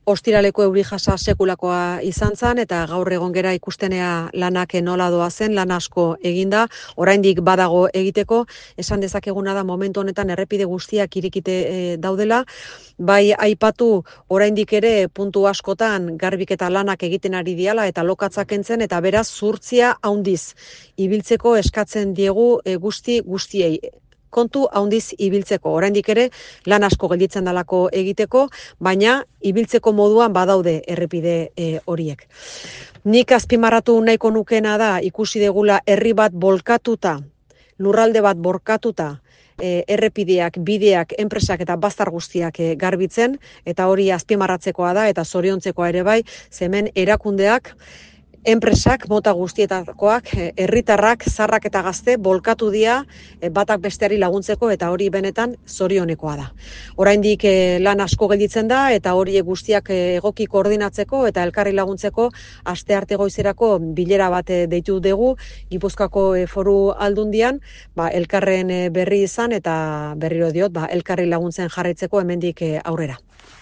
Ostiraleko euri jasa sekulakoa izan zen, eta gaur egon gera ikustenea lanak nola doa zen, lan asko eginda, oraindik badago egiteko, esan dezakeguna da momentu honetan errepide guztiak irekite daudela, bai aipatu oraindik ere puntu askotan garbiketa lanak egiten ari diala eta lokatzak kentzen, eta beraz zurtzia handiz ibiltzeko eskatzen diegu guztiei. Kontu handiz ibiltzeko, oraindik ere lan asko gelditzen dalako egiteko, baina ibiltzeko moduan badaude errepide horiek. Nik azpimarratu nahiko nukena da ikusi degula herri bat bolkatuta, lurralde bat borkatuta, errepideak, bideak, enpresak eta bazter guztiak garbitzen, eta hori azpimarratzekoa da eta zoriontzekoa ere bai, hemen erakundeak, enpresak, mota guztietakoak, herritarrak, zaharrak eta gazte, bolkatu dira batak besteari laguntzeko, eta hori benetan zorionekoa da. Oraindik lan asko gelditzen da, eta hori guztiak egoki koordinatzeko eta elkarri laguntzeko astearte goizerako bilera bat deitu dugu, Gipuzkoako Foru Aldundian, elkarren berri izan, eta berriro diot, elkarri laguntzen jarraitzeko hemendik aurrera.